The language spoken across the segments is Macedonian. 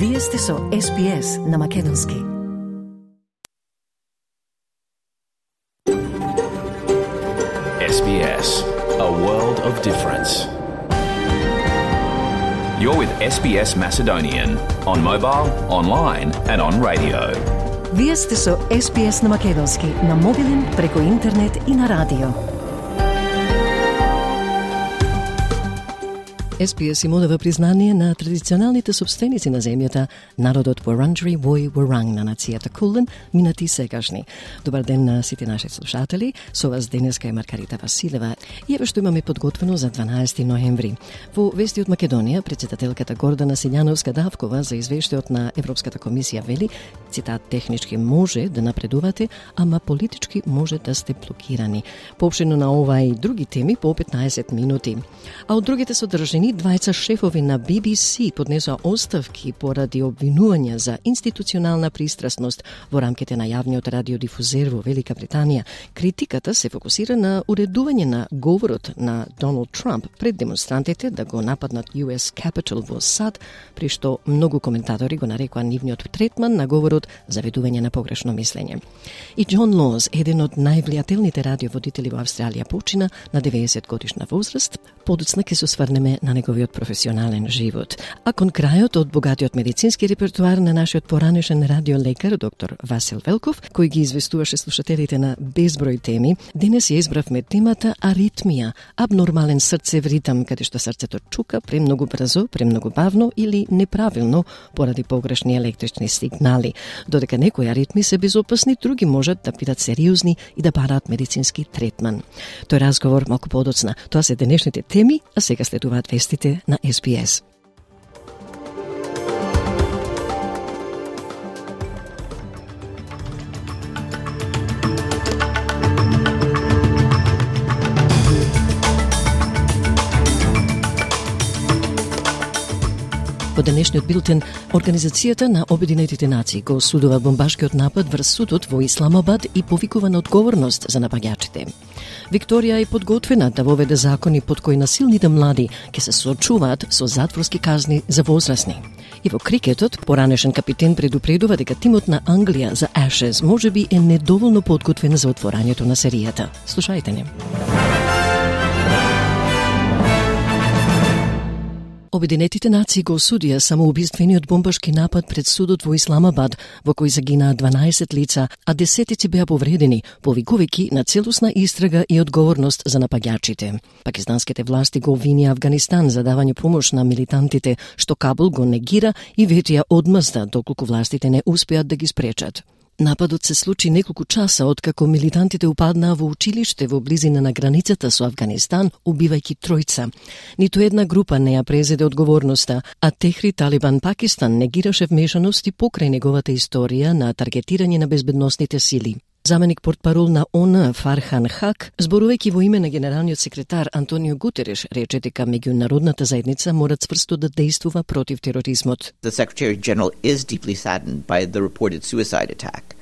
Вие сте со SPS на Македонски. SBS, a world of difference. You're with SBS Macedonian on mobile, online and on radio. Вие сте со SPS на Македонски на мобилен, преку интернет и на радио. SPS им одава признание на традиционалните собственици на земјата, народот Wurundjeri Woi Wurrung на нацијата Кулен, минати и сегашни. Добар ден на сите наши слушатели. Со вас денеска е Маргарита Василева. И еве што имаме подготвено за 12 ноември. Во вести од Македонија, председателката Гордана Силјановска-Давкова за извештајот на Европската комисија вели, цитат, технички може да напредувате, ама политички може да сте блокирани. Поопштено на ова и други теми по 15 минути. А од другите содржини, двајца шефови на BBC поднесоа оставки поради обвинувања за институционална пристрасност во рамките на јавниот радиодифузер во Велика Британија. Критиката се фокусира на уредување на говорот на Доналд Трамп пред демонстрантите да го нападнат US Capitol во САД, при што многу коментатори го нарекоа нивниот третман на говорот заведување на погрешно мислење. И Џон Лоз, еден од највлијателните радиоводители во Австралија, почина на 90 годишна возраст. Подоцна ќе се осврнеме на неговиот професионален живот. А кон крајот од богатиот медицински репертуар на нашиот поранешен радиолекар, доктор Васил Велков, кој ги известуваше слушателите на безброј теми, денес ја избравме темата аритмија, абнормален срцев ритам, каде што срцето чука премногу брзо, премногу бавно или неправилно поради погрешни електрични сигнали. Додека некои аритми се безопасни, други можат да бидат сериозни и да бараат медицински третман. Тој разговор малку подоцна. Тоа се денешните теми, а сега следуваат вестите на SBS. Во денешниот билтен, Организацијата на Обединетите нации го осудува бомбашкиот напад врз судот во Исламабад и повикува на одговорност за напаѓачите. Викторија е подготвена да воведе закони под кои насилните млади ќе се соочуваат со затворски казни за возрастни. И во крикетот, поранешен капитен предупредува дека тимот на Англија за Ashes можеби е недоволно подготвен за отворањето на серијата. Слушајте не. Обединетите нации го осудија самоубиствениот бомбашки напад пред судот во Исламабад, во кој загинаа 12 лица, а десетици беа повредени, повикувајќи на целосна истрага и одговорност за напаѓачите. Пакистанските власти го обвинија Авганистан за давање помош на милитантите, што Кабул го негира и ветија одмазда доколку властите не успеат да ги спречат. Нападот се случи неколку часа откако милитантите упаднаа во училиште во близина на границата со Авганистан, убивајќи тројца. Ниту една група не ја презеде одговорноста, а Техри Талибан Пакистан негираше вмешаност и покрај неговата историја на таргетирање на безбедносните сили. Заменик портпарол на ООН Фархан Хак, зборувајќи во име на генералниот секретар Антонио Гутереш, рече дека меѓународната заедница мора цврсто да действува против тероризмот. The Secretary General is deeply saddened by the reported suicide attack,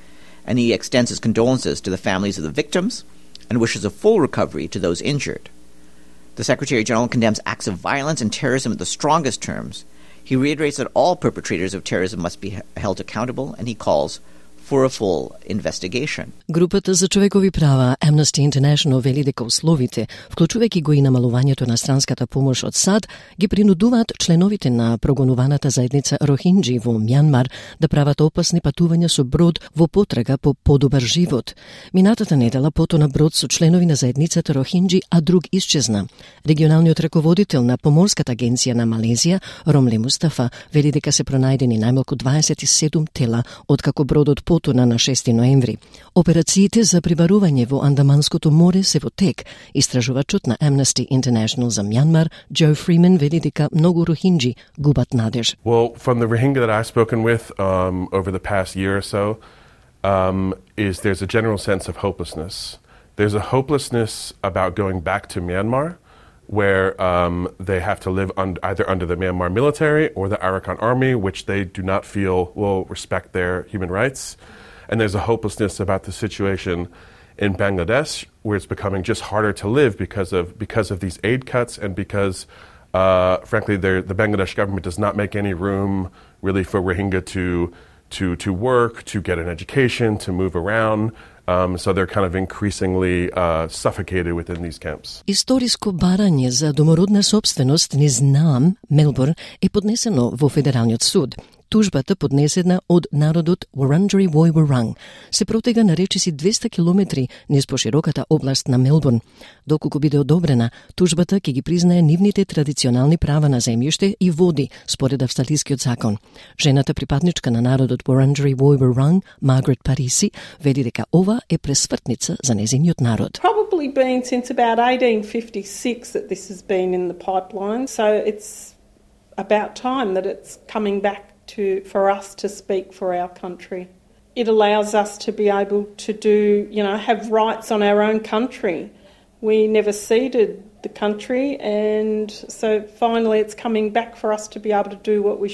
and he extends his condolences to the families of the victims and wishes a full recovery to those injured. The Secretary General condemns acts of violence and terrorism in the strongest terms. He reiterates that all perpetrators of terrorism must be held accountable, and he calls for a full investigation. Групата за човекови права Amnesty International вели дека условите, вклучувајќи го и намалувањето на странската помош од САД, ги принудуваат членовите на прогонуваната заедница Рохинџи во Мјанмар да прават опасни патувања со брод во потрага по подобар живот. Минатата недела потона брод со членови на заедницата Рохинџи, а друг исчезна. Регионалниот раководител на поморската агенција на Малезија, Ромле Мустафа, вели дека се пронајдени најмалку 27 тела откако бродот потона на 6 ноември. Операциите за прибарување во Андаманското море се во тек. Истражувачот на Amnesty International за Мјанмар, Джо Фримен, вели дека многу рохинџи губат надеж. Well, from the Rohingya that I've spoken with over the past year or so, is there's a general sense of hopelessness. There's a hopelessness about going back to Myanmar, where they have to live either under the Myanmar military or the Arakan army, which they do not feel will respect their human rights. And there's a hopelessness about the situation in Bangladesh, where it's becoming just harder to live because of these aid cuts and because, frankly, the Bangladesh government does not make any room really for Rohingya to work, to get an education, to move around. So they're kind of increasingly suffocated within these camps. Историско барање за домородна собственост низ Наам, Мелбурн, е поднесено во Федералниот суд. Тужбата, поднесена од народот Wurundjeri Woi Wurrung, се протега на речиси 200 километри низ пошироката област на Мелбурн. Доколку биде одобрена, тужбата ќе ги признае нивните традиционални права на земјиште и води, според австралискиот закон. Жената припадничка на народот Wurundjeri Woi Wurrung, Маргарет Париси, веди дека ова е пресвртница за незиниот народ. Probably been since about 1856 that this has been in the pipeline, so it's about time that it's coming back for us to speak for our country. It allows us to be able to have rights on our own country. We never ceded the country, and so finally it's coming back for us to be able to do what we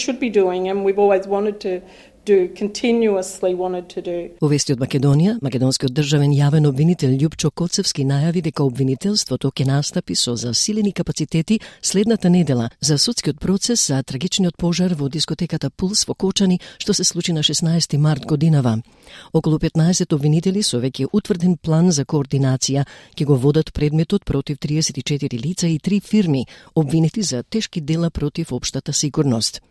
should be doing, and we've always wanted to continuously wanted to do. Во вести од Македонија, македонскиот државен јавен обвинител Љупчо Коцевски најави дека обвинителството ќе настапи со засилени капацитети следната недела за судскиот процес за трагичниот пожар во дискотеката Пулс во Кочани, што се случи на 16 март годинава. Околу 15 обвинители со веќе утврден план за координација ќе го водат предметот против 34 лица и 3 фирми, обвинети за тешки дела против општата сигурност.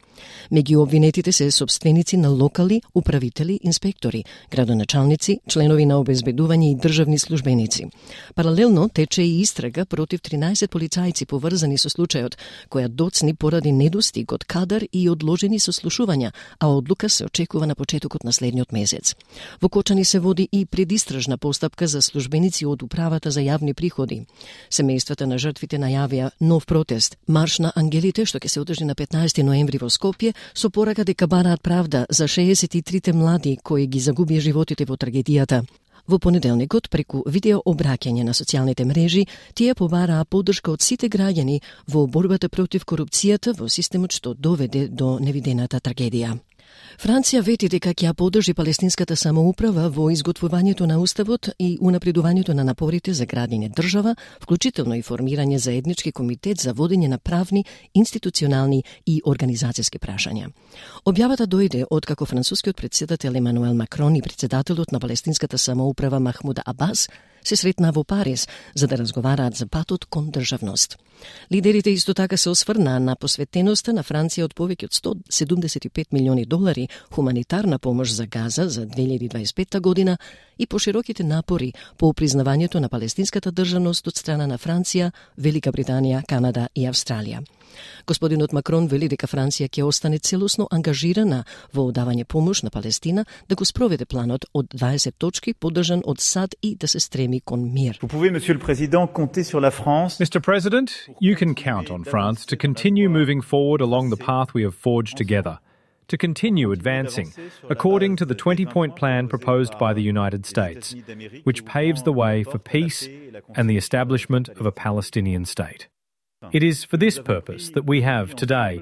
Меѓу обвинетите се собственици на локали, управители, инспектори, градоначалници, членови на обезбедување и државни службеници. Паралелно тече и истрага против 13 полицајци поврзани со случајот, која доцни поради недостиг од кадар и одложени сослушувања, а одлука се очекува на почетокот на следниот месец. Во Кочани се води и предистражна постапка за службеници од управата за јавни приходи. Семејствата на жртвите најавија нов протест, марш на ангелите, што ќе се одржи на 15 ноември во Скопје, со порака дека бараат правда за 63 млади кои ги загубија животите во трагедијата. Во понеделникот, преку видео обраќање на социјалните мрежи, тие побараа поддршка од сите граѓани во борбата против корупцијата во системот што доведе до невидената трагедија. Франција вети дека ќе ја поддржи палестинската самоуправа во изготвувањето на уставот и унапредувањето на напорите за градење држава, вклучително и формирање заеднички комитет за водење на правни, институционални и организацијски прашања. Објавата дојде откако францускиот претседател Емануел Макрон и претседателот на палестинската самоуправа Махмуд Абас се сретнаа во Париз за да разговараат за патот кон државност. Лидерите исто така се осврнаа на посветеноста на Франција од повеќе од $175 милиони хуманитарна помош за Газа за 2025 година и пошироките напори по признавањето на палестинската државност од страна на Франција, Велика Британија, Канада и Австралија. Господинот Макрон вели дека Франција ќе остане целосно ангажирана во одавање помош на Палестина, да го спроведе планот од 20 точки поддржан од САД и да се стреми кон мир. Vous pouvez, Monsieur le Président, compter sur la France. Mr. President, you can count on France to continue moving forward along the path we have forged together, to continue advancing according to the 20-point plan proposed by the United States, which paves the way for peace and the establishment of a Palestinian state. It is for this purpose that we have today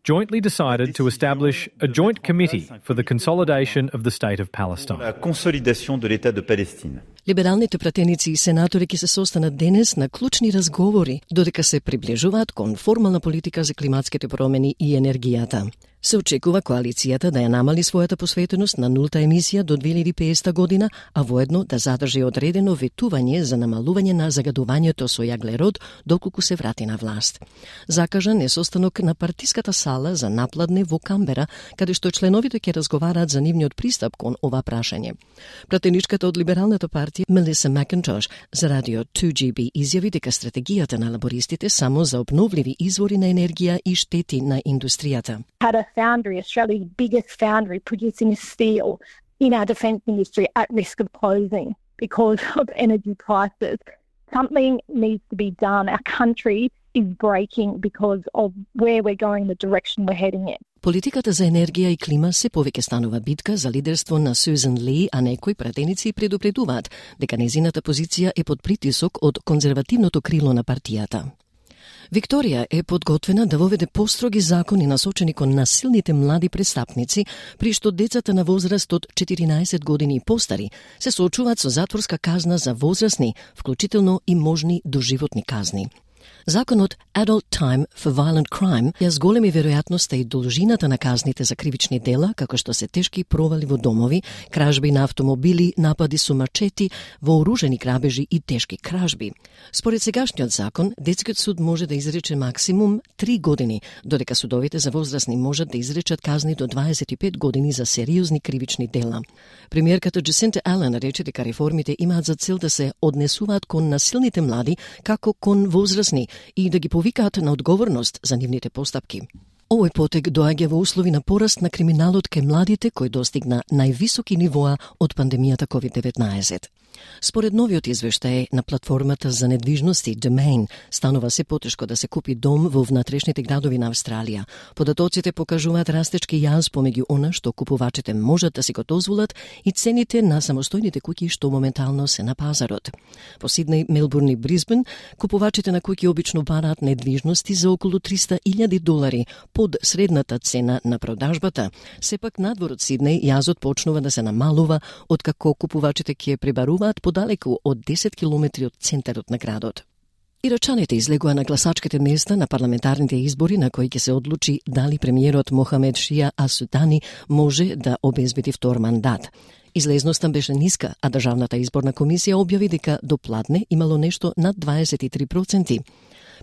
jointly decided to establish a joint committee for the consolidation of the state of Palestine. La consolidation de l'État de Palestine. Либералните пратеници и сенатори ќе се состанат денес на клучни разговори, додека се приближуваат кон формална политика за климатските промени и енергијата. Се очекува коалицијата да ја намали својата посветеност на нулта емисија до 2050 година, а воедно да задржи одредено ветување за намалување на загадувањето со јаглерод доколку се врати на власт. Закажан е состанок на партиската сала за напладне во Камбера, каде што членовите ќе разговараат за нивниот пристап кон ова прашање. Пратеничката од либералната партија Мелиса Макинтош за радио 2GB изјави дека стратегијата на лабористите само за обновливи извори на енергија и штети на индустријата. Had a foundry, Australia's biggest foundry, producing steel in our defence industry at risk of closing because of energy prices. Something needs to be done. Our country is breaking because of where we're going, the direction we're heading in. Политиката за енергија и клима се повеќе станува битка за лидерство на Сюзан Ли, а некои пратеници предупредуваат дека незината позиција е под притисок од конзервативното крило на партијата. Викторија е подготвена да воведе построги закони насочени кон насилните млади престапници, при што децата на возраст од 14 години и постари се соочуваат со затворска казна за возрастни, вклучително и можни доживотни казни. Законот Adult Time for Violent Crime ја зголеми веројатноста и должината на казните за кривични дела, како што се тешки провали во домови, кражби на автомобили, напади со мачети, вооружени грабежи и тешки кражби. Според сегашниот закон, детскиот суд може да изрече максимум 3 години, додека судовите за возрастни можат да изречат казни до 25 години за сериозни кривични дела. Премиерката Джасинта Ален рече дека реформите имаат за цел да се однесуваат кон насилните млади како кон возрастни и да ги повикаат на одговорност за нивните постапки. Овој потек доаѓа во услови на пораст на криминалот кај младите кој достигна највисоки нивоа од пандемијата COVID-19. Според новиот извештај на платформата за недвижности Domain, станува се потешко да се купи дом во внатрешните градови на Австралија. Податоците покажуваат растечки јаз помеѓу она што купувачите можат да си го дозволат и цените на самостојните куќи што моментално се на пазарот. По Сиднеј, Мелбурн и Брисбен, купувачите на куќи обично бараат недвижности за околу $300,000 под средната цена на продажбата. Сепак надвор од Сиднеј јазот почнува да се намалува откако купувачите ќе пребаруваат подалеку од 10 километри од центарот на градот. Ирачаните излегува на гласачките места на парламентарните избори на кои ќе се одлучи дали премиерот Мохамед Шија Асудани може да обезбеди втор мандат. Излезноста беше ниска, а Државната изборна комисија објави дека до пладне имало нешто над 23%.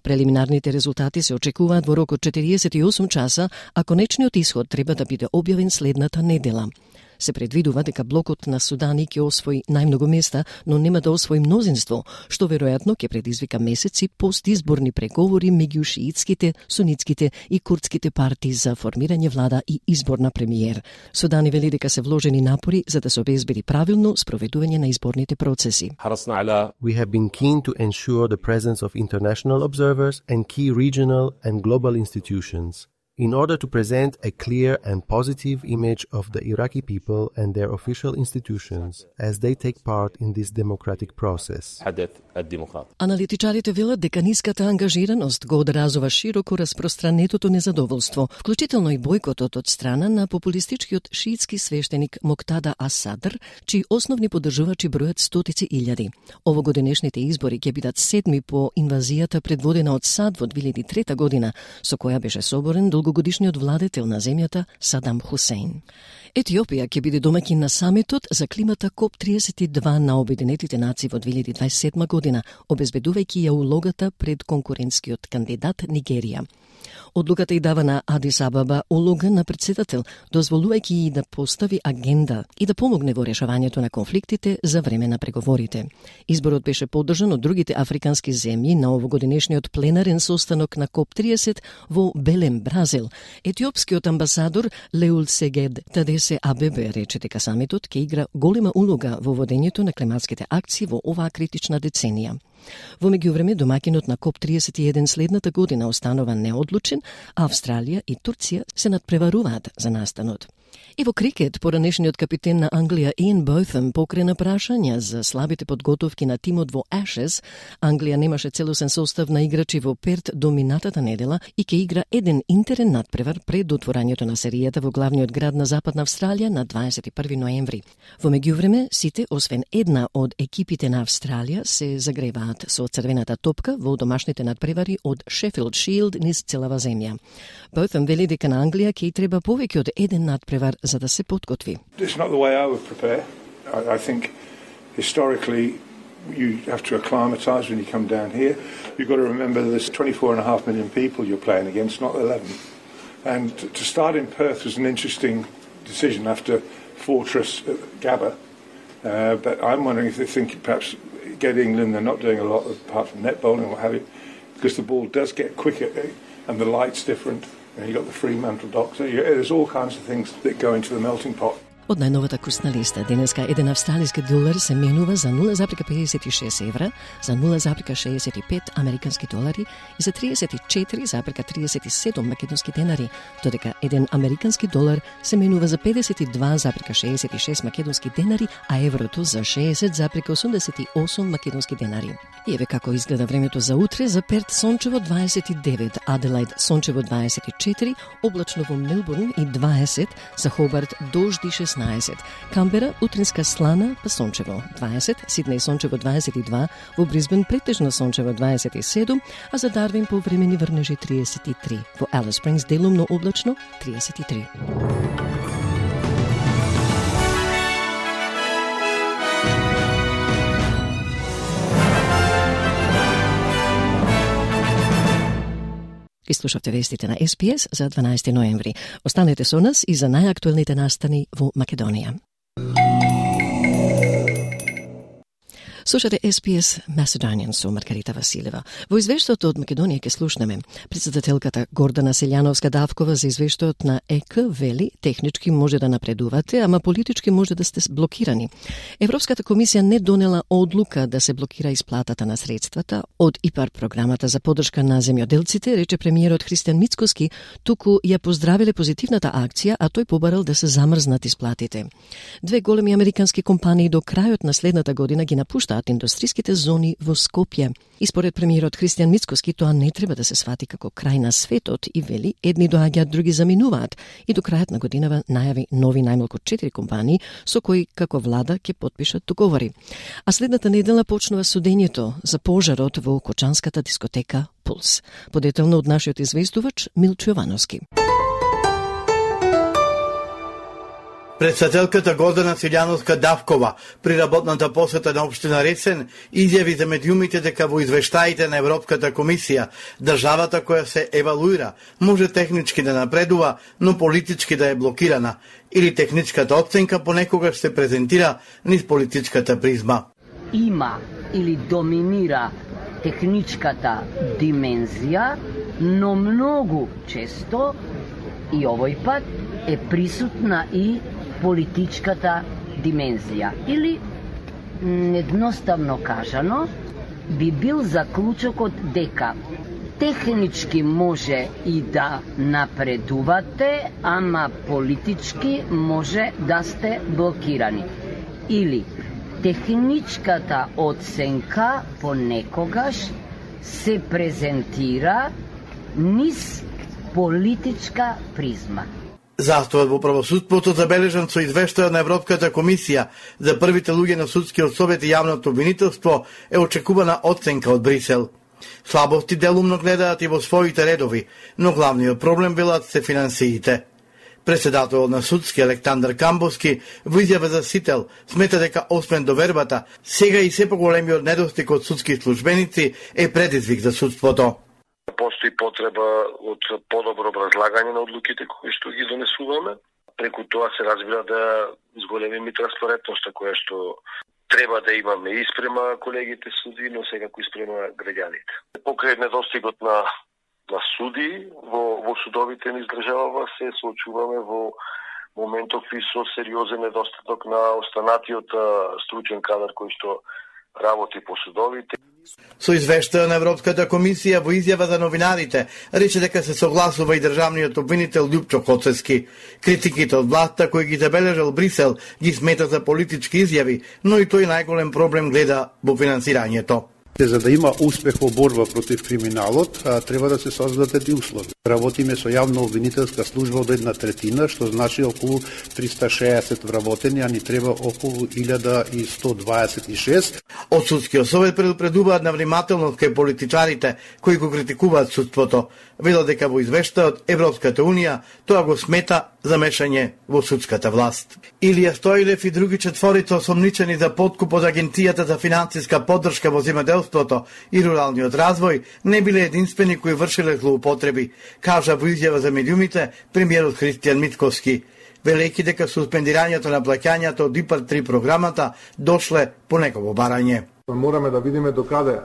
Прелиминарните резултати се очекуваат во рок од 48 часа, а конечниот исход треба да биде објавен следната недела. Се предвидува дека блокот на Судани ќе освои најмногу места, но нема да освои мнозинство, што веројатно ќе предизвика месеци постизборни преговори меѓу шиитските, сунитските и курдските партии за формирање влада и избор на премиер. Судани вели дека се вложени напори за да се обезбеди правилно спроведување на изборните процеси. We have been keen to ensure the presence of international observers and key regional and global institutions in order to present a clear and positive image of the Iraqi people and their official institutions as they take part in this democratic process. Аналитичарите велат дека ниската ангажираност го одразува широко распространетото незадоволство, вклучително и бојкотот од страна на популистичкиот шиитски свештеник Моктада Ас-Садр, чии основни поддржувачи бројат стотици илјади. Овогодинешните избори ќе бидат седми по инвазијата предводена од САД во 2003 година, со која беше соборен долгогодишниот владетел на земјата Садам Хусейн. Етиопија ќе биде домаќин на самитот за климата КОП-32 на Обединетите нации во 2027 година, обезбедувајќи ја улогата пред конкурентскиот кандидат Нигерија. Одлуката и дава на Адис Абаба улога на председател, дозволувајќи и да постави агенда и да помогне во решавањето на конфликтите за време на преговорите. Изборот беше поддржан од другите африкански земји на овогодинешниот пленарен состанок на КОП-30 во Белем, Бразил. Етиопскиот амбасадор Леул Сегед Тадесе Абебе рече дека самитот ќе игра голема улога во водењето на климатските акции во оваа критична деценија. Во меѓувреме, домаќинот на КОП-31 следната година останува неодлучен, а Австралија и Турција се надпреваруваат за настанот. И во крикет, поранешниот капитен на Англија Иан Боtham покрена прашања за слабите подготовки на тимот во Ashes. Англија немаше целосен состав на играчи во Перт до минатата недела и ќе игра еден интерен надпревар пред отворањето на серијата во главниот град на Западна Австралија на 21 ноември. Во меѓувреме, сите, освен една од екипите на Австралија, се загреваат со црвената топка во домашните надпревари од Sheffield Shield низ целава земја. Botham вели дека на Англија ќе треба повеќе од еден надпревар за да се подготви. It's not the way I would prepare. I think historically you have to acclimatise when you come down here. You've got to remember there's 24.5 million people you're playing against, not 11. And to start in Perth was an interesting decision after Fortress at Gabba. But I'm wondering if they think perhaps get England, they're not doing a lot apart from net bowling or what have you, because the ball does get quicker and the light's different. You got the Fremantle doctor. There's all kinds of things that go into the melting pot. Од најновата курсна листа, денеска еден австралиски долар се менува за 0,56 евра, за 0,65 американски долари и за 34,37 македонски денари, додека еден американски долар се менува за 52,66 македонски денари, а еврото за 60,88 македонски денари. И еве како изгледа времето за утре: за Перт сончево 29, Аделаид сончево 24, облачно во Мелбурн и 20, за Хобарт дожди 16, 16, Камбера утринска слана па сончево 20, Сиднеј сончево 22, во Брисбен претежно сончево 27, а за Дарвин повремени врнежи 33, во Алис Спрингс делумно облачно 33. И слушавте вестите на СПС за 12 ноември. Останете со нас и за најактуелните настани во Македонија. Слушате СПС Macedonian со Маргарита Василева. Во извештајот од Македонија ќе слушнеме председателката Гордана Селјановска-Давкова за извештајот на ЕК вели технички може да напредувате, ама политички може да сте блокирани. Европската комисија не донела одлука да се блокира исплатата на средствата од ИПАР програмата за поддршка на земјоделците, рече премиерот Христијан Мицкоски, туку ја поздравиле позитивната акција, а тој побарал да се замрзнат исплатите. Две големи американски компании до крајот на следната година ги напуштаат индустриските зони во Скопје. И според премиерот Христијан Мицкоски, тоа не треба да се свати како крај на светот и вели, едни доаѓаат, други заминуваат. И до крајот на годинава најави нови најмалку 4 компании со кои како влада ќе потпишат договори. А следната недела почнува судењето за пожарот во кочанската дискотека Пулс. Подетелно од нашиот известувач Милчо Јовановски. Председателката Гордана Селјановска-Давкова при работната посета на општина Ресен изјави за медиумите дека во извештаите на Европската комисија државата која се евалуира може технички да напредува, но политички да е блокирана, или техничката оценка понекогаш се презентира низ политичката призма. Има или доминира техничката димензија, но многу често и овој пат е присутна и политичката димензија. Или, едноставно кажано, би бил заклучокот дека технички може и да напредувате, ама политички може да сте блокирани. Или, техничката оценка понекогаш се презентира низ политичка призма. Застојот во правосудството забележан со извештајот на Европската комисија за првите луѓе на судскиот совет и јавното обвинителство е очекувана оценка од Брисел. Слабости делумно гледаат и во своите редови, но главниот проблем велат се финансиите. Председателот на судски Александар Камбовски во изјава за Сител смета дека освен довербата, сега и се поголемиот недостиг од судски службеници е предизвик за судството. Постои потреба од подобро образлагање на одлуките кои што ги донесуваме. Преку тоа се разбира да зголемиме транспарентноста која што треба да имаме и спрема колегите суди, но секако и спрема граѓаните. Покрај недостигот на суди во судовите низ државава се соочуваме во моментов и со сериозен недостаток на останатиот стручен кадар кој што работи по судовите. Со извештајот на Европската комисија во изјава за новинарите рече дека се согласува и државниот обвинител Љупчо Коцевски. Критиките од власта кои ги забележал Брисел ги смета за политички изјави, но и тој најголем проблем гледа во финансирањето. За да има успех во борба против криминалот, треба да се создадат и услови. Работиме со јавно обвинителска служба од 1/3, што значи околу 360 вработени, а ни треба околу 1126. Од судскиот совет предупредуваат на внимателност кај политичарите кои го критикуваат судството. Велат дека во извештајот Европската Унија тоа го смета замешање во судската власт. Илија Стоилев и други четворица осомничени за подкуп од Агенцијата за финансиска поддршка во земјоделството и руралниот развој не биле единствени кои вршиле злоупотреби, кажа во изјава за медиумите премиерот Христијан Мицкоски, велејќи дека суспендирањето на плаќањата од ИПАР 3 програмата дошле по негово барање. Мораме да видиме докаде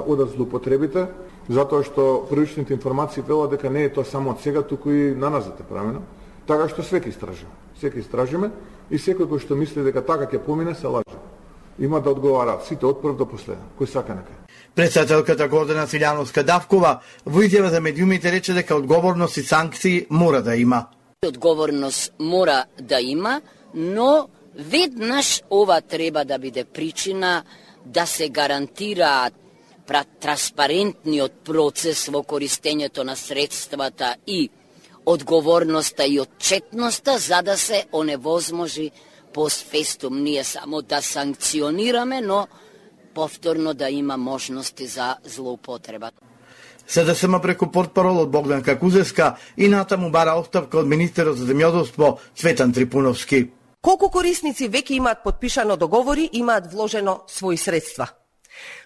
одат злоупотребите, затоа што првичните информации велат дека не е тоа само од сега, туку и наназад е правено. Така што свеки истражиме. Секи истражиме и секој кој што мисли дека така ќе помине се лаже. Има да одговараат сите од прв до последен, кој сака нека. Председателката Гордана Селјановска-Давкова во изјава за медиумите рече дека одговорност и санкции мора да има. Одговорност мора да има, но веднаш ова треба да биде причина да се гарантира транспарентниот процес во користењето на средствата и одговорноста и отчетноста за да се оневозможи постфестум ние само да санкционираме, но повторно да има можности за злоупотреба. СДСМ преку портпаролот Богдан Какузевска и натаму бара оставка од министерот за земјоделство Цветан Трипуновски. Колку корисници веќе имаат подпишано договори, имаат вложено своји средства?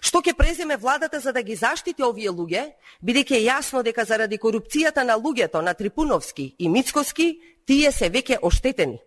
Што ќе преземе владата за да ги заштити овие луѓе, бидејќи е јасно дека заради корупцијата на луѓето на Трипуновски и Мицкоски, тие се веќе оштетени.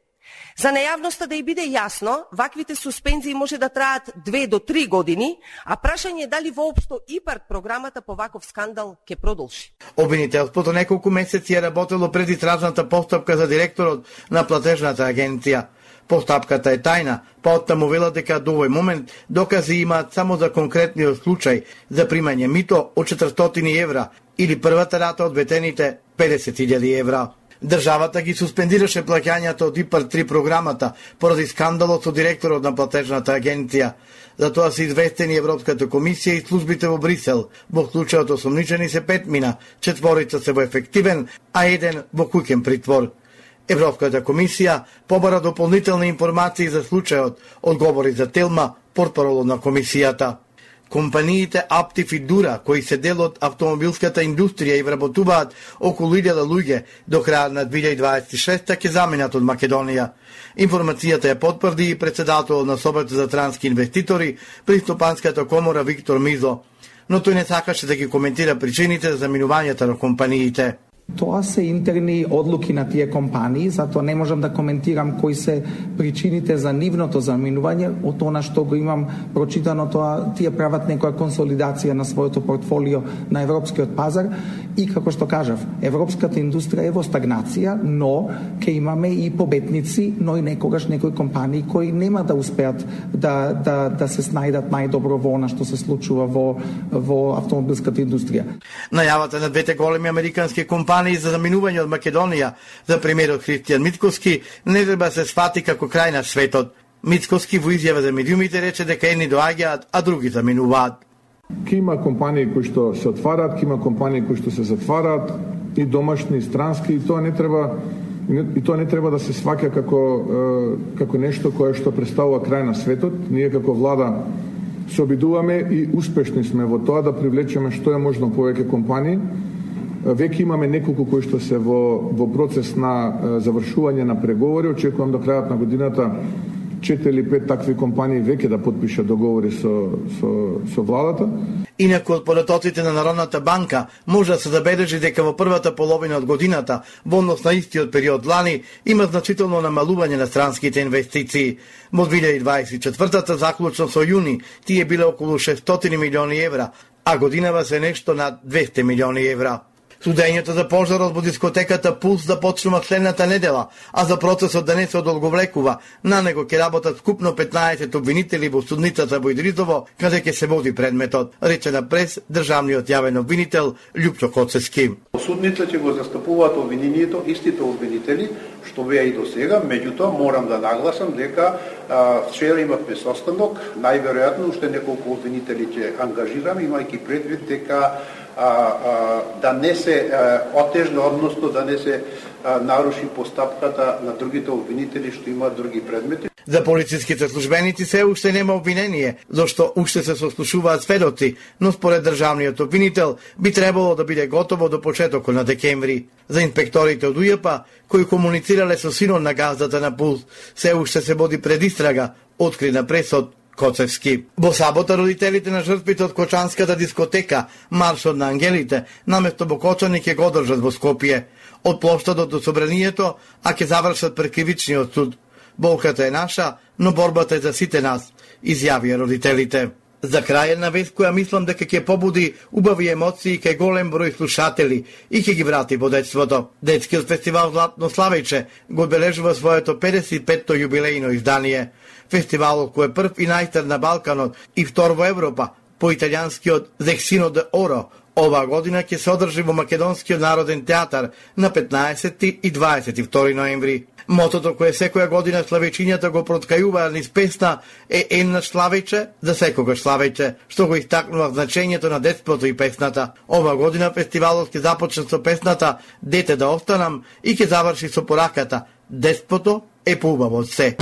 За најавноста да и биде јасно, ваквите суспензии може да траат 2 до 3 години, а прашање е дали воопшто ИПАРД програмата по ваков скандал ќе продолжи. Обвинителството неколку месеци е работело пред истражната постапка за директорот на платежната агенција. Постапката е тајна, па оттаму велат дека до овој момент докази имаат само за конкретниот случај за примање мито од 400 евра или првата рата од ветените 50.000 евра. Државата ги суспендираше плаќањата од ИПАРД-3 програмата поради скандалот со директорот на платежната агенција. За тоа се известени Европската комисија и службите во Брисел. Во случајот осомничени се 5 мина, 4 се во ефективен, а 1 во куќен притвор. Европската комисија побара дополнителни информации за случајот, одговори за Телма, портпаролот на комисијата. Компаниите Аптив и Дура, кои се дел од автомобилската индустрија и вработуваат околу 1000 луѓе до крајот на 2026 ќе заменат од Македонија. Информацијата ја потврди и председателот на Собата за трански инвеститори при Стопанската комора Виктор Мизо, но тој не сакаше да ги коментира причините за заминувањето на компаниите. Тоа се интерни одлуки на тие компании, затоа не можам да коментирам кои се причините за нивното заминување. Од она што го имам прочитано, тоа тие прават некоја консолидација на своето портфолио на европскиот пазар и како што кажав, европската индустрија е во стагнација, но ќе имаме и победници, но и некогаш некои компании кои нема да успеат да се снајдат најдобро во она што се случува во автомобилската индустрија. Најавата на двете големи американски компании за заминување од Македонија за премиерот Христијан Мицкоски не треба се сфати како крај на светот. Мицкоски во изјава за медиумите рече дека едни доаѓаат, а други заминуваат. Ке има компании кои што се отвараат, ке има компании кои што се затвараат, и домашни, и странски, и тоа не треба да се сваќа како нешто кое што представува крај на светот. Ние како влада се обидуваме и успешни сме во тоа да привлечеме што е можно повеќе компании. Веќе имаме неколку кои што се во процес на завршување на преговори. Очекувам до крајот на годината 4 или 5 такви компании веќе да потпишат договори со владата. Инаку од податоците на Народната банка може да се забележи дека во првата половина од годината, во однос на истиот период лани, има значително намалување на странските инвестиции. Во 2024 заклучно со јуни тие биле околу 600 милиони евра, а годинава се нешто над 200 милиони евра. Судењето за пожарот во дискотеката Пулс започнува следната недела, а за процесот да не се одолговлекува, на него ќе работат скупно 15 обвинители во судницата во Идризово, каде ќе се води предметот, рече на прес државниот јавен обвинител Љупчо Коцевски. Судните ќе го застапуваат обвинението, истите обвинители, што беа и до сега, меѓутоа морам да нагласам дека вчера имавме состанок, најверојатно уште неколку обвинители ќе ангажираме, имајќи предвид дека да не се отежне, односно да не се наруши постапката на другите обвинители што имаат други предмети. За полициските службеници се уште нема обвинение, зашто уште се сослушуваат сведоци, но според државниот обвинител би требало да биде готово до почетокот на декември. За инспекторите од УЈП, кои комуницирале со синот на газдата на Пулс, се уште се води предистрага, откри на пресот Коцевски. Во сабота родителите на жртвите од Кочанската дискотека Маршот на ангелите наместо во Кочани ќе го одржат во Скопје. Од плоштадот до собранието, а ќе завршат пред кривичниот суд. Болката е наша, но борбата е за сите нас, изјавија родителите. За крај една вест која мислам дека ќе побуди убави емоции кај голем број слушатели и ќе ги врати во детството. Детскиот фестивал Златно Славејче го одбележува своето 55-то јубилејно издание. Фестивалот кој е прв и најстар на Балканот и втор во Европа, по италијанскиот Зексино де Оро, оваа година ќе се одржи во Македонскиот народен театар на 15 и 22 ноември. Мотото кое секоја година славечињата го проткајуваат низ песна е еднаш славејче, за секогаш славејче, што го истакнува значењето на детството и песната. Ова година фестивалот ќе започне со песната "Дете да останам" и ќе заврши со пораката "Детството е поубаво од се".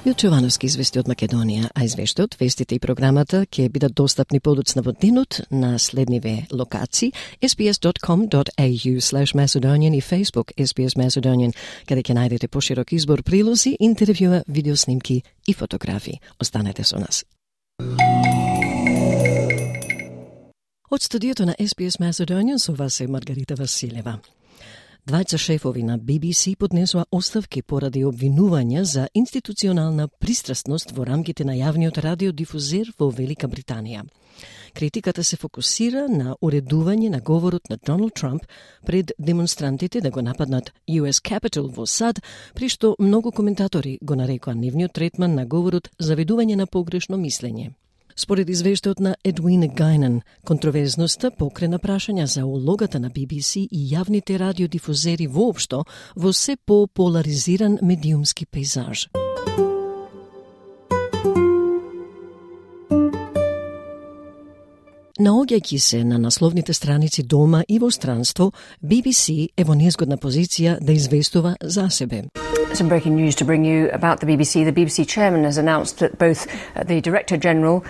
Милчо Јовановски извести од Македонија, а извештајот, вестите и програмата ќе бидат достапни подоцна во денот на следниве локации: sbs.com.au/Macedonian и Facebook SBS Macedonian, каде ќе најдете поширок избор прилози, интервјуа, видеоснимки и фотографии. Останете со нас. Од студиото на SBS Macedonian со вас е Маргарита Василева. Двајца шефови на BBC поднесоа оставки поради обвинувања за институционална пристрасност во рамките на јавниот радиодифузер во Велика Британија. Критиката се фокусира на уредување на говорот на Доналд Трамп пред демонстрантите да го нападнат US Capitol во САД, при што многу коментатори го нарекоа нивниот третман на говорот заведување на погрешно мислење. Според извештајот на Едвин Гайнан, контроверзноста покрена прашања за улогата на BBC и јавните радиодифузери воопшто во се по-поларизиран медиумски пейзаж. Наоѓајќи се на насловните страници дома и во странство, BBC е во незгодна позиција да известува за себе. Some breaking news to bring you about the BBC. The BBC chairman has announced that both the Director General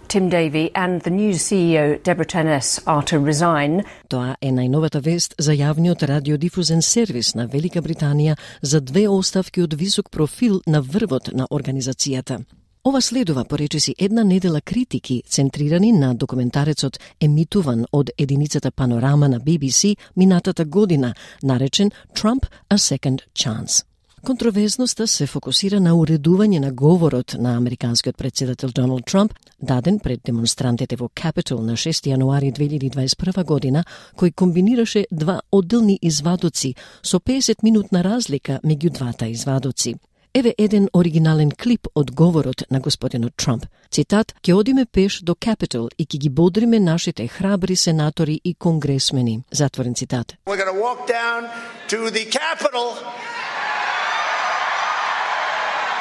Tim Davie and the new CEO Deborah Turness are to resign. Тоа е најновата вест за јавниот радиодифузен сервис на Велика Британија за две оставки од висок профил на врвот на организацијата. Ова следува поречиси една недела критики центрирани на документарецот емитуван од единицата Панорама на BBC минатата година, наречен Trump a Second Chance. Контроверзноста се фокусира на уредување на говорот на американскиот председател Доналд Трамп, даден пред демонстрантите во Capitol на 6 јануари 2021 година, кој комбинираше два одделни извадоци со 50-минутна разлика меѓу двата извадоци. Еве еден оригинален клип од говорот на господинот Трамп. Цитат: "Ќе одиме пеш до Capitol и ќе ги бодриме нашите храбри сенатори и конгресмени." Затворен цитат. We're going to walk down to the Capitol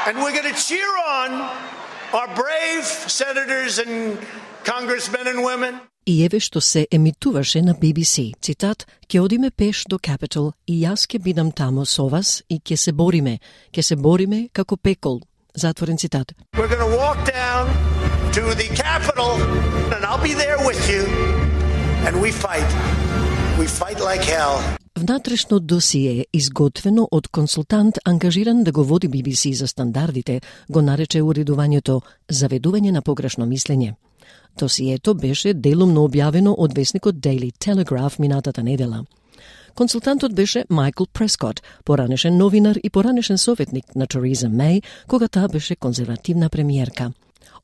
and we're going to cheer on our brave senators and congressmen and women. И еве што се емитуваше на BBC. Цитат: "Ќе одиме пеш до Capitol и јас ќе бидам тамо со вас и ќе се бориме како пекол." Затворен цитат. We're going to walk down to the Capitol and I'll be there with you and we fight. We fight like hell. Внатрешно досие, изготвено од консултант ангажиран да го води BBC за стандардите, го нарече уредувањето "заведување на погрешно мислење". Досието беше делумно објавено од весникот Daily Telegraph минатата недела. Консултантот беше Майкл Прескот, поранешен новинар и поранешен советник на Тереза Меј, кога таа беше конзервативна премиерка.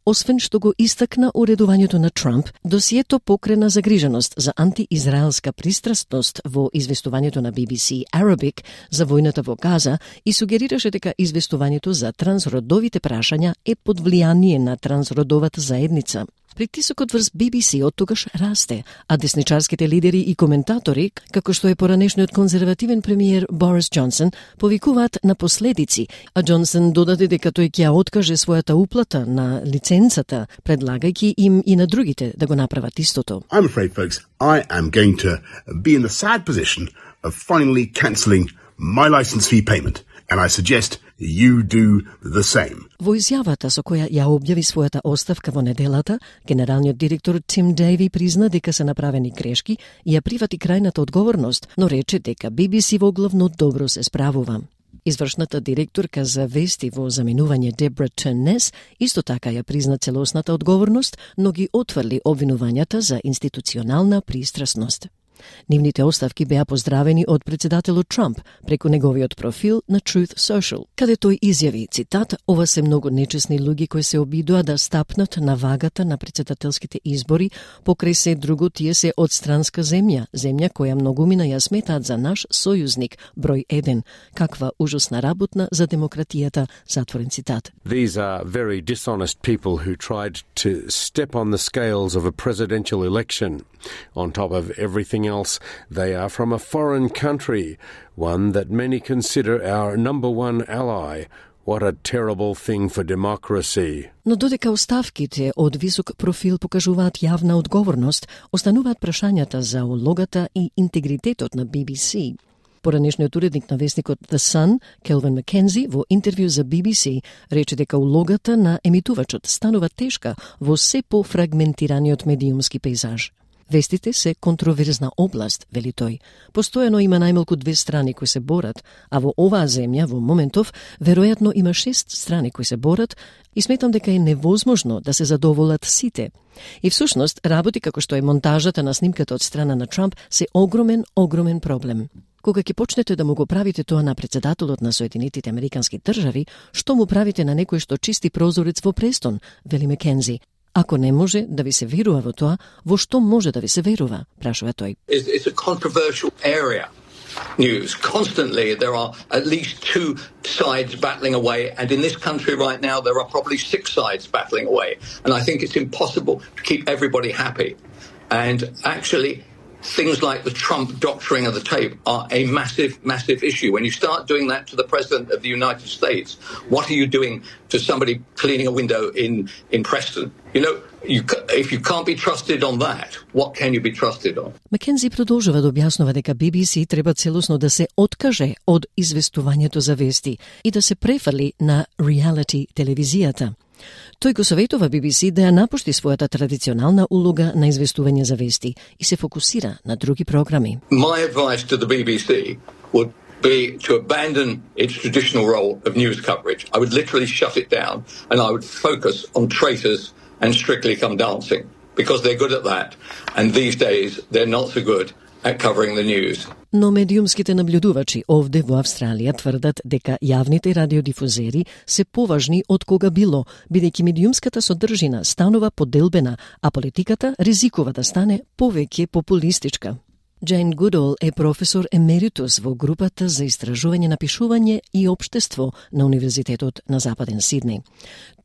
Освен што го истакна уредувањето на Трамп, досието покрена загриженост за антиизраелска пристрасност во известувањето на BBC Arabic за војната во Газа и сугерираше дека известувањето за трансродовите прашања е под влијание на трансродовата заедница. Притисокот врз BBC од тогаш расте, а десничарските лидери и коментатори, како што е поранешниот конзервативен премиер Борис Џонсон, повикуваат на последици, а Џонсон додаде дека тој ќе ја откаже својата уплата на лиценцата, предлагајќи им и на другите да го направат истото. I'm afraid, folks, I am going to be in the sad position of finally cancelling my license fee payment, and I suggest you do the same. Во изјавата со која ја објави својата оставка во неделата, генералниот директор Тим Дейви призна дека се направени грешки и ја прифати крајната одговорност, но рече дека BBC во главно добро се справува. Извршната директорка за вести во заменување Дебра Тurness исто така ја призна целосната одговорност, но ги отврли обвинувањата за институционална пристрасност. Нивните оставки беа поздравени од председателот Трамп преку неговиот профил на Truth Social, каде тој изјави, цитат: "Ова се многу нечесни луѓе кои се обидоа да стапнат на вагата на председателските избори, покрај се друго тие се од странска земја која многумина ја сметаат за наш сојузник број 1. Каква ужасна работна за демократијата", затворен цитат. These are very dishonest people who tried to step on the scales of a presidential election on top of everything else, they are from a foreign country, one that many consider our number one ally. What a terrible thing for democracy. Но додека оставките од висок профил покажуваат јавна одговорност, остануваат прашањата за улогата и интегритетот на BBC. Поранешниот уредник на вестникот The Sun, Келвин Маккензи, во интервју за BBC, рече дека улогата на емитувачот станува тешка во се пофрагментираниот медиумски пейзаж. Вестите се контроверзна област, вели тој. Постојано има најмалку 2 страни кои се борат, а во оваа земја, во моментов, веројатно има 6 страни кои се борат и сметам дека е невозможно да се задоволат сите. И всушност, работи како што е монтажата на снимката од страна на Трамп се огромен проблем. Кога ќе почнете да му го правите тоа на председателот на Соединетите Американски држави, што му правите на некој што чисти прозорец во Престон, вели Маккензи. Ако не може да ви се верува во тоа, во што може да ви се верува, прашува тој. It's a controversial area. News. Constantly there are at least 2 sides battling away, and in this country right now there are probably 6 sides battling away. And I think it's impossible to keep everybody happy. And actually things like the Trump doctoring of the tape are a massive issue. When you start doing that to the President of the United States, what are you doing to somebody cleaning a window in Preston? You know, if you can't be trusted on that, what can you be trusted on? Маккензи продолжува да објаснува дека BBC треба целосно да се откаже од известувањето за вести и да се префали на реалити телевизијата. Тој го советува BBC да ја напушти својата традиционална улога на известување за вести и се фокусира на други програми. My advice to the BBC would be to abandon its traditional role of news coverage. I would literally shut it down and I would focus on traitors and Strictly Come Dancing because they're good at that, and these days they're not so good at covering the news. Но медиумските наблюдувачи овде во Австралија тврдат дека јавните радиодифузери се поважни од кога било, бидејќи медиумската содржина станува поделбена, а политиката ризикува да стане повеќе популистичка. Джейн Гудол е професор емеритус во групата за истражување на пишување и општество на Универзитетот на Западен Сиднеј.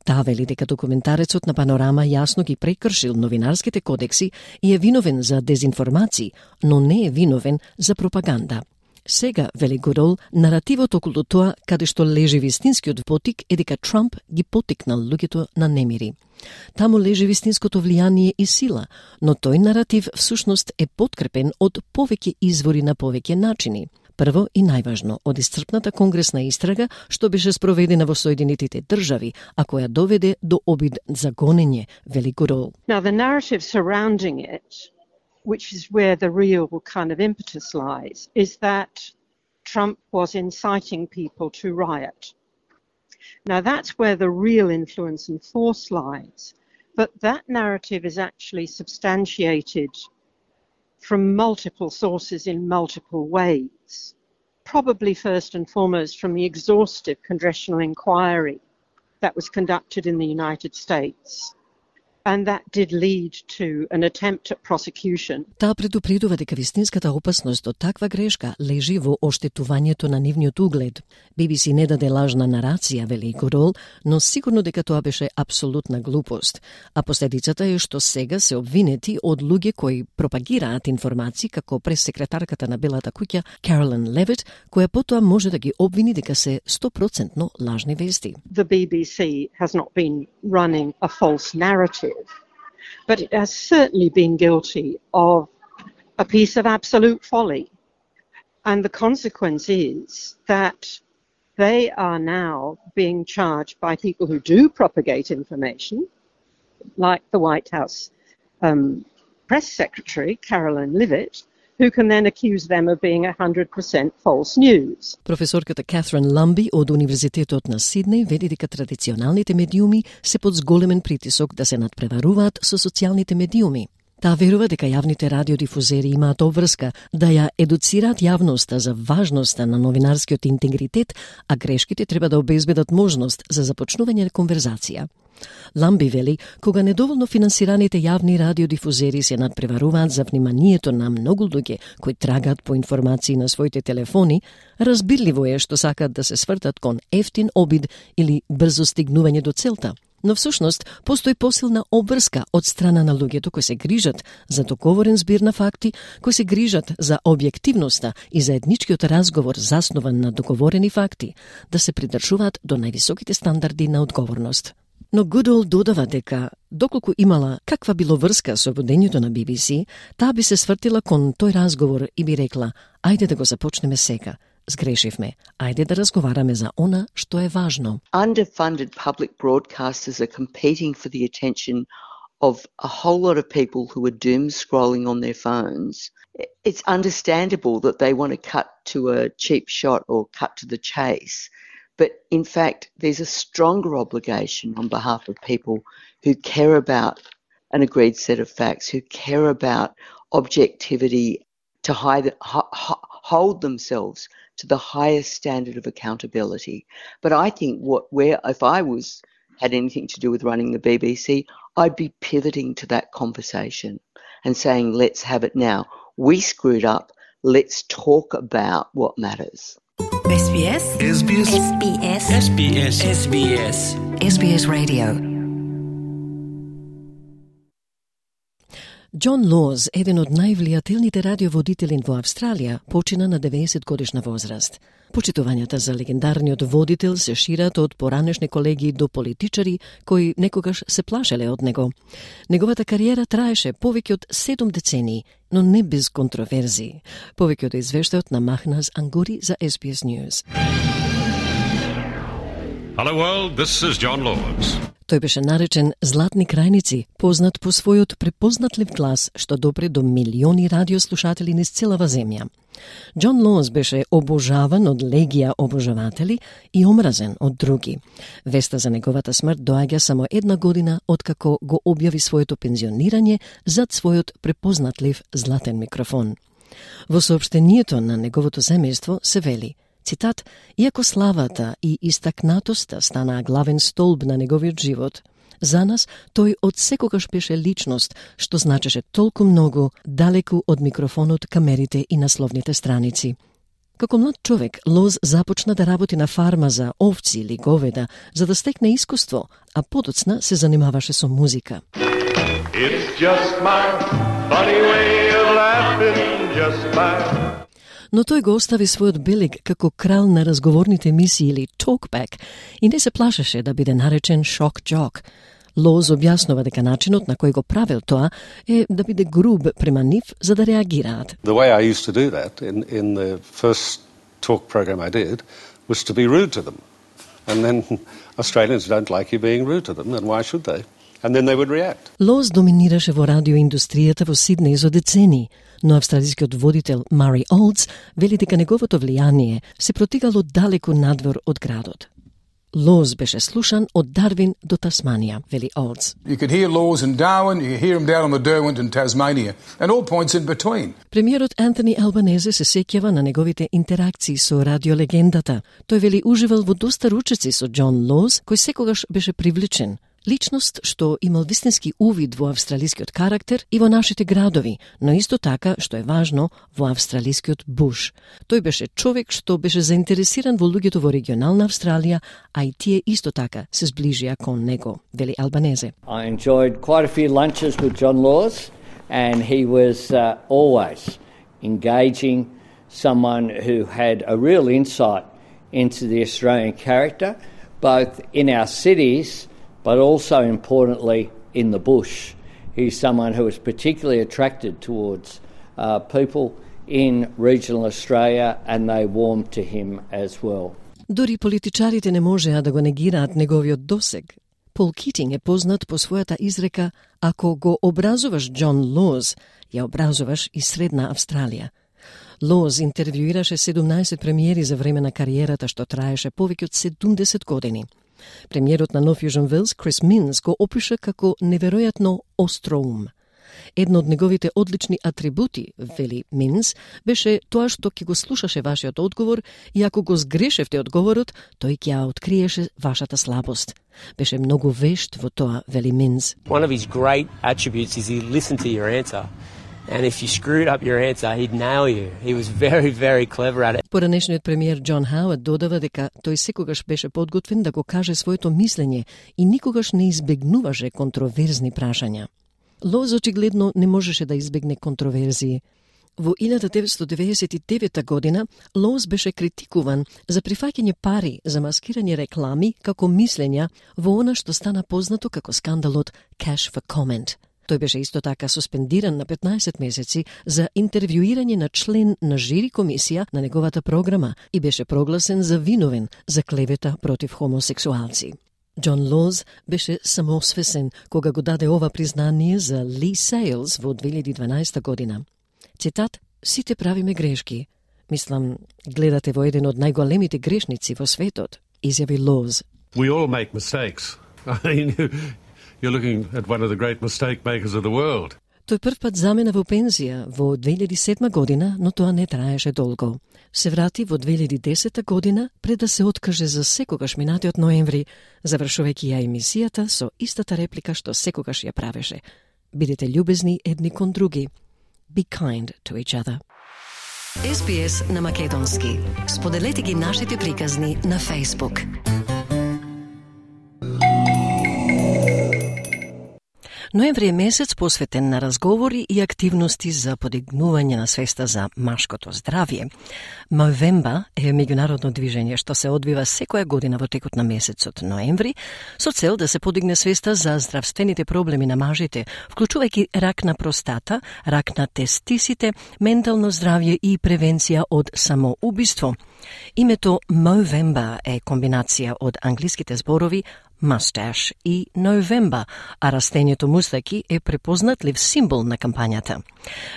Таа вели дека документарецот на Панорама јасно ги прекршил новинарските кодекси и е виновен за дезинформации, но не е виновен за пропаганда. Сега, вели Гудол, наративот околу тоа каде што лежи вистинскиот потик е дека Трамп ги потикнал луѓето на немири. Таму лежи вистинското влијание и сила, но тој наратив всушност е подкрепен од повеќе извори на повеќе начини. Прво и најважно, од исцрпната конгресна истрага што беше спроведена во Соединетите држави, а која доведе до обид за гонење, вели Гудол. Now the narrative surrounding it, which is where the real kind of impetus lies, is that Trump was inciting people to riot. Now that's where the real influence and force lies, but that narrative is actually substantiated from multiple sources in multiple ways. Probably first and foremost from the exhaustive congressional inquiry that was conducted in the United States. And that did lead to an attempt at prosecution. Таа предупредува дека вистинската опасност од таква грешка лежи во оштетувањето на нивниот углед. BBC не даде лажна нарација, вели Гудол, но сигурно дека тоа беше апсолутна глупост. А последицата е што сега се обвинети од луѓе кои пропагираат информации како прес-секретарката на Белата куќа Carolyn Levitt, која потоа може да ги обвини дека се 100% лажни вести. The BBC has not been running a false narrative, but it has certainly been guilty of a piece of absolute folly. And the consequence is that they are now being charged by people who do propagate information, like the White House press secretary, Carolyn Levitt, who can then accuse them of being 100% false news. Професорката Катрин Ламби од Универзитетот на Сиднеј вели дека традиционалните медиуми се под зголемен притисок да се надпреваруваат со социјалните медиуми. Таа верува дека јавните радиодифузери имаат обврска да ја едуцираат јавноста за важноста на новинарскиот интегритет, а грешките треба да обезбедат можност за започнување на конверзација. Ламби вели, кога недоволно финансираните јавни радиодифузери се надпреваруваат за вниманието на многу луѓе кои трагаат по информации на своите телефони, разбирливо е што сакаат да се свртат кон ефтин обид или брзо стигнување до целта. Но всушност, постои посилна обврска од страна на луѓето кои се грижат за договорен збир на факти, кои се грижат за објективноста и заедничкиот разговор заснуван на договорени факти, да се придржуваат до највисоките стандарди на одговорност. Но Goodall додава дека, доколку имала каква било врска со водењето на BBC, таа би се свртила кон тој разговор и би рекла, ајде да го започнеме сега. Сгрешивме. Ајде да разговараме за она што е важно. Underfunded public broadcasters are competing for the attention of a whole lot of people who are doom scrolling on their phones. It's understandable that they want to cut to a cheap shot or cut to the chase. But in fact, there's a stronger obligation on behalf of people who care about an agreed set of facts, who care about objectivity, to hold themselves to the highest standard of accountability. But I think if I had anything to do with running the BBC, I'd be pivoting to that conversation and saying, let's have it now. We screwed up. Let's talk about what matters. SBS SBS SBS SBS SBS SBS Radio. Џон Лоз, еден од највлијателните радиоводители во Австралија, почина на 90 годишна возраст. Почитувањата за легендарниот водител се шират од поранешни колеги до политичари кои некогаш се плашеле од него. Неговата кариера траеше повеќе од 7 децении, но не без контроверзии. Повеќе од извештајот на Махназ Ангури за SBS News. Hello world, this is John Laws. Тој беше наречен Златни крајници, познат по својот препознатлив глас што допре до милиони радиослушатели низ целава земја. Џон Лоз беше обожаван од легија обожаватели и омразен од други. Веста за неговата смрт доаѓа само една година откако го објави своето пензионирање зад својот препознатлив златен микрофон. Во соопштението на неговото семејство се вели, цитат, иако славата и истакнатоста станаа главен столб на неговиот живот, за нас тој од секогаш беше личност што значеше толку многу далеку од микрофонот, камерите и насловните страници. Како млад човек, Лоз започна да работи на фарма за овци или говеда, за да стекне искуство, а подоцна се занимаваше со музика. It's just my funny way of laughing, just my... Но тој го остави својот белег како крал на разговорните емисии или talkback и не се плашеше да биде наречен shock jock. Лоз објаснува дека начинот на кој го правел тоа е да биде груб према нив за да реагираат. The way I used to do that in the first talk program I did was to be rude to them. And then Australians don't like you being rude to them, and why should they? And then they would react. Лоз доминираше во радиоиндустријата во Сиднеј за децении, но австралискиот водител Мари Олдс вели дека неговото влијание се протигало далеку надвор од градот. Лоз беше слушан од Дарвин до Тасманија, вели Олдс. You could hear Laws in Darwin, you could hear him down on the Derwent in Tasmania, and all points in between. Премиерот Антони Албанезе се сеќава на неговите интеракции со радиолегендата. Тој вели уживал во доста ручеци со Џон Лоз, кој секогаш беше привлечен. Личност што имал вистински увид во австралискиот карактер и во нашите градови, но исто така, што е важно, во австралискиот буш. Тој беше човек што беше заинтересиран во луѓето во регионална Австралија, а и тие исто така се зближија кон него, вели Албанезе. I enjoyed quite a few lunches with Jon Laws, and he was always engaging, someone who had a real insight into the Australian character, both in our cities but also importantly in the bush. He's someone who is particularly attracted towards people in regional Australia, and they warmed to him as well. Дори политичарите не можеа да го негираат неговиот досег. Пол Китинг е познат по својата изрека: ако го образуваш Џон Лоз, ја образуваш и Средна Австралија. Лоз интервјуираше 17 премиери за време на кариерата што траеше повеќе од 70 години. Премиерот на Нов Јужен Велс, Крис Минс, го опиша како неверојатно остроум. Едно од неговите одлични атрибути, вели Минс, беше тоа што ќе го слушаше вашиот одговор и ако го сгрешевте одговорот, тој ќе ја откриеше вашата слабост. Беше многу вешт во тоа, вели Минс. One of his great attributes is he listened to your answer And if you screwed up your answer, he'd nail you. He was very, very clever at it. Поранешниот премиер Џон Хауард додава дека тој секогаш беше подготвен да го каже своето мислење и никогаш не избегнуваше контроверзни прашања. Лоз очигледно не можеше да избегне контроверзии. Во 1999 година Лоз беше критикуван за прифаќање пари за маскирање реклами како мислења во она што стана познато како скандалот Cash for Comment. Тој беше исто така суспендиран на 15 месеци за интервјуирање на член на жири комисија на неговата програма и беше прогласен за виновен за клевета против хомосексуалци. Џон Лоз беше самосвесен кога го даде ова признание за Ли Сейлс во 2012 година. Цитат: "Сите правиме грешки. Мислам, гледате во еден од најголемите грешници во светот", изјави Лоз. We all make mistakes. I mean, you're looking at one of the great mistake makers of the world. Тој прв пат замена во пензија во 2007 година, но тоа не траеше долго. Се врати во 2010 година пред да се откаже за секогаш минатиот ноември, завршувајќи ја емисијата со истата реплика што секогаш ја правеше: "Бидете љубезни едни кон други. Be kind to each other." SBS на македонски. Споделете ги нашите приказни на Facebook. Ноември е месец посветен на разговори и активности за подигнување на свеста за машкото здравје. Movember е меѓународно движење што се одвива секоја година во текот на месецот ноември со цел да се подигне свеста за здравствените проблеми на мажите, вклучувајќи рак на простата, рак на тестисите, ментално здравје и превенција од самоубиство. Името Movember е комбинација од англиските зборови mustache и November, а растението мустаки е препознатлив символ на кампањата.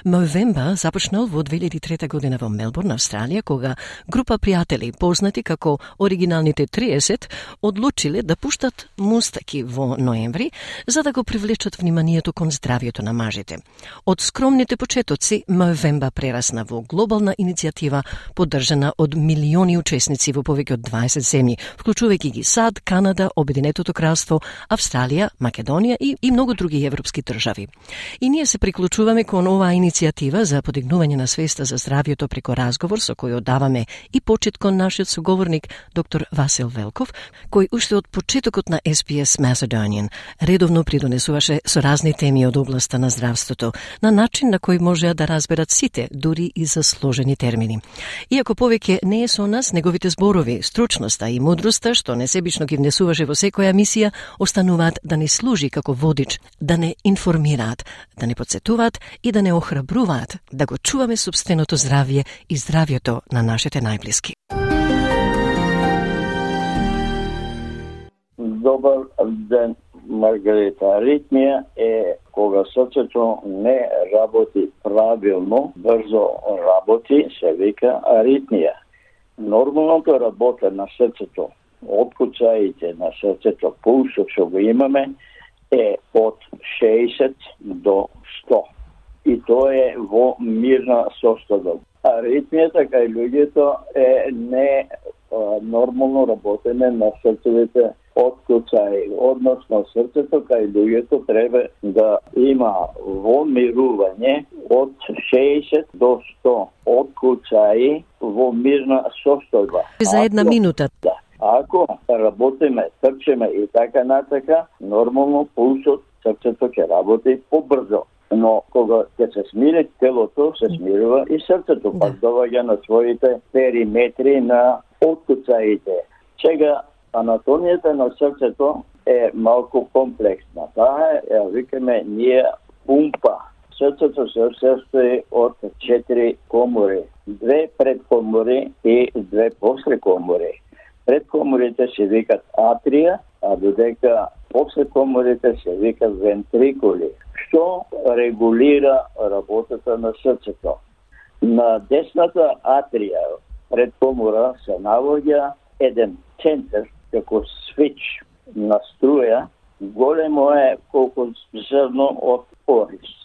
Movember започнал во 2003 година во Мелбурн, Австралија, кога група пријатели, познати како оригиналните 30, одлучиле да пуштат мустаки во ноември, за да го привлечат вниманието кон здравјето на мажите. Од скромните почетоци, Movember прерасна во глобална иницијатива, поддржана од милиони учесници во повеќе од 20 земји, вклучувајќи ги САД, Канада, Обединетото кралство, Австралија, Македонија и многу други европски држави. И ние се приклучуваме кон оваа иницијатива за подигнување на свеста за здравјето преко разговор со кој одаваме и почит кон нашиот соговорник доктор Васил Велков, кој уште од почетокот на SBS Macedonian редовно придонесуваше со разни теми од областа на здравството, на начин на кој можеа да разберат сите, дури и за сложени термини. Иако повеќе не е со нас, неговите зборови, стручноста и мудроста, што несебично ги внесуваше во секоја мисија, остануваат да ни служи како водич, да не информираат, да не подсетуваат и да не охрабруваат да го чуваме сопственото здравје и здравјето на нашите најблиски. Добар ден, Маргарита. Аритмија е кога срцето не работи правилно, брзо работи, се вика аритмија. Нормалното работа на срцето, откуцаите на срцето, пулсот што го имаме, е од 60 до 100. И тоа е во мирна состојба. Аритмијата кај луѓето е не нормално работење на срцевите откуцаи. Односно, срцето кај луѓето треба да има во мирување од 60 до 100 откуцаи во мирна состојба. За една минута. Да. Ако работиме, трчеме и така натака, нормално пулсот, срцето ќе работи побрзо. Но кога ќе се смири телото, се смирува и срцето, пак доваѓа на своите периметри на откуцаите. Сега, анатомијата на срцето е малку комплексна. Таа е, викаме, ние пумпа. Срцето се состои од 4 комори. 2 предкомори и 2 послекомори. Предкоморите се викат атрија, а додека послекоморите се викат вентрикули, што регулира работата на срцето. На десната атрија, предкомора, се наоѓа еден центар, како свич на струја, големо е колку зрно од орис.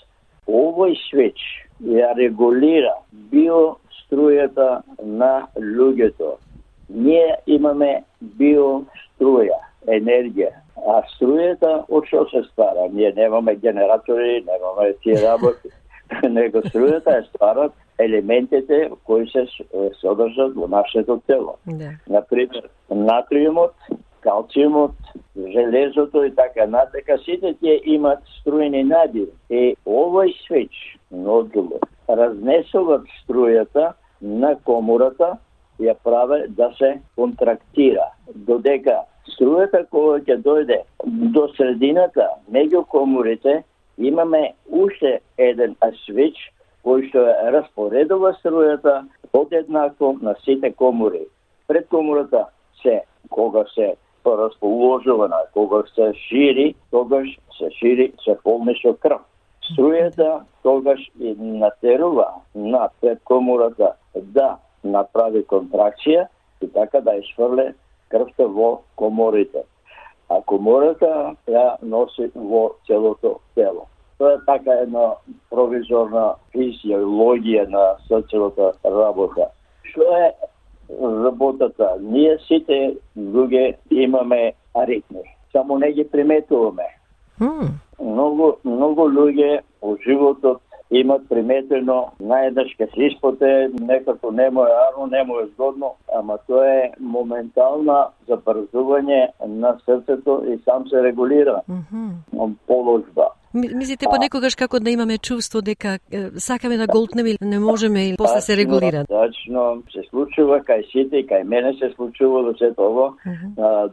Овој свич ја регулира биострујата на луѓето. Ние имаме биоструја, енергија. А струјата од што се ствара? Ние немаме генератори, немаме тие работи. него струјата е стварат елементите кои се содржат во нашето тело. Например, натриумот, калциумот, железото и така натака, сите тие имат струјни надири. И овој свеч, нодулот, разнесуваат струјата на комората, ја праве да се контрактира. Додека струјата која ќе дојде до средината, меѓу коморите, имаме уште еден свеч кој што распоредува струјата одеднакво на сите комори. Пред комората кога се расположувана, кога се шири, тогаш се шири, се полни со крв. Струјата тогаш и натерува на пред комората да направи контракција и така да изфрле крвта во коморите. А комората ја носи во целото тело. Тоа е така една провизорна физиологија на срцевата работа. Што е работата? Ние сите луѓе имаме аритми. Само не ги приметуваме. Многу луѓе во животот имат приметено наједнаш ке се испоте, некако не му е арно, не му е згодно, ама тоа е моментална забрзување на срцето и сам се регулира положба. Мислите понекогаш како да имаме чувство дека сакаме да голтнеме или не можеме или после се регулира? Точно, се случува кај сите и кај мене се случува до сето ово.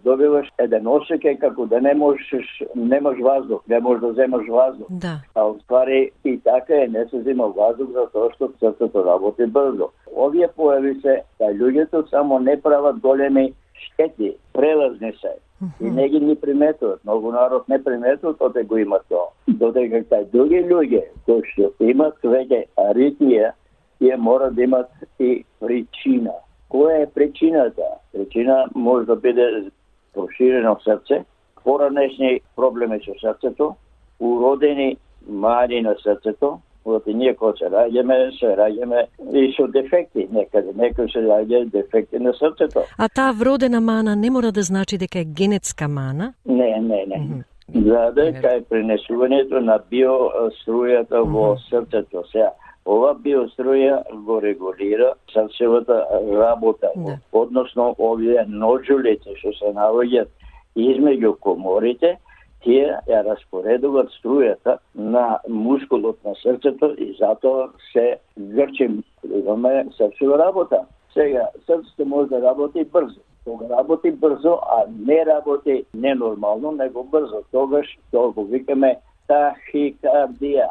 Добиваш еден осеќај како да немаш воздух, не можеш да земаш воздух. А уствари и така не се зема воздух затоа што срцето работи брзо. Овие појави се кај луѓето само не прават големи штети, прелазни се. И не ги ни приметуват. Многу народ не приметуват, оте го има тоа. Додека кај други луѓе кои што имат веќе аритмија, тие мора да имат и причина. Која е причината? Причина може да биде проширено срце, поранешни проблеми со срцето, уродени мани на срцето, оти ние кога се раѓаме и со дефекти. Некој се раѓа дефекти на срцето. А таа вродена мана не мора да значи дека е генетска мана? Не. Дека е пренесувањето на биострујата во срцето. Сега, ова биоструја го регулира срцевата работа, односно овие ноджулите што се наоѓаат измеѓу коморите, тие ја распоредуваат струјата на мускулот на срцето и затоа се грчи, имаме срцева работа. Сега, срцето може да работи брзо. Кога работи брзо, а не работи ненормално, него брзо. Тогаш тоа го викаме тахикардија.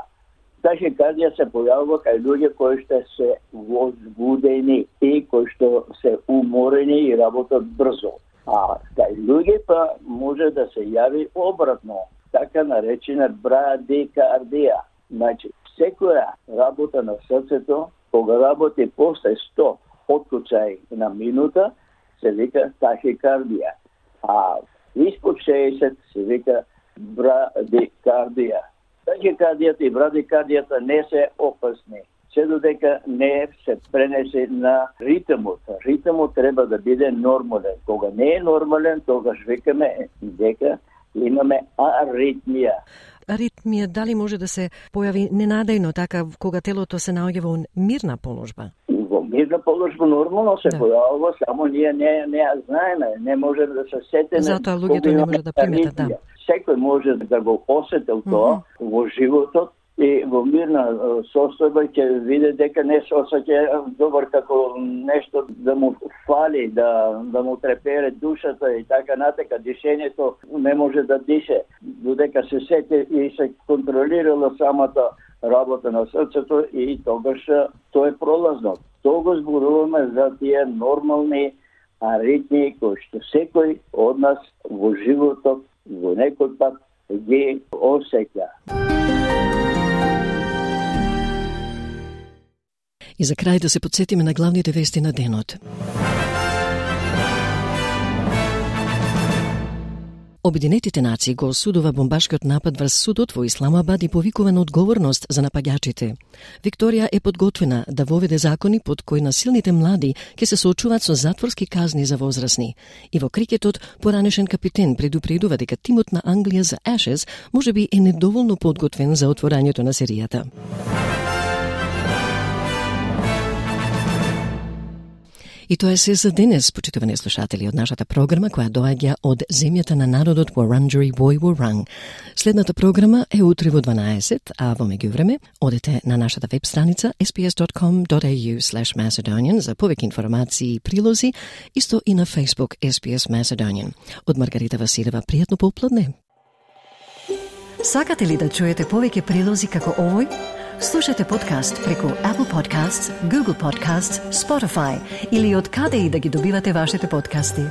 Тахикардија се појавува кај луѓе кои што се возбудени и кои што се уморени и работат брзо. А кај луѓе па може да се јави обратно, така наречена брадикардија. Значи, секоја работа на срцето, кога работи после 100 откуцаи на минута, се вика тахикардија. А испод 60 се вика брадикардија. Тахикардијата и брадикардијата не се опасни, се додека не се пренесе на ритмот. Ритмот треба да биде нормален. Кога не е нормален, тогаш викаме дека имаме аритмија. Аритмија дали може да се појави ненадејно, така кога телото се наоѓа во мирна положба? Во мирна положба нормално се појавува, само ние не ја знаеме, не можеме да се сетиме. Затоа луѓето не може да приметат, Секој може да го осетил тоа во животот, и во мирна состојба ќе види дека не се осеќа добар како нешто да му фали, да му трепере душата и така натака. Дишењето не може да дише, додека се сети и се контролирала самата работа на срцето и тогаш тоа е пролазно. Тоа го зборуваме за тие нормални аритмии кои што секој од нас во животот во некој пат ги осеќа. И за крај да се подсетиме на главните вести на денот. Обединетите нации го осудува бомбашкиот напад врз судот во Исламабад и повикува на одговорност за напаѓачите. Викторија е подготвена да воведе закони под кои насилните млади ќе се соочуваат со затворски казни за возрастни. И во крикетот, поранешен капитен предупредува дека тимот на Англија за Ashes можеби е недоволно подготвен за отворањето на серијата. И тоа е се за денес, почитувани слушатели, од нашата програма која доаѓа од земјата на народот Wurundjeri Woi-wurrung. Следната програма е утре во 12, а во меѓувреме одете на нашата веб страница sbs.com.au/Macedonian за повеќе информации и прилози, исто и на Facebook SBS Macedonian. Од Маргарита Василева, пријатно попладне. Сакате ли да чуете повеќе прилози како овој? Слушате подкаст преку Apple Podcasts, Google Podcasts, Spotify или од каде и да ги добивате вашите подкасти.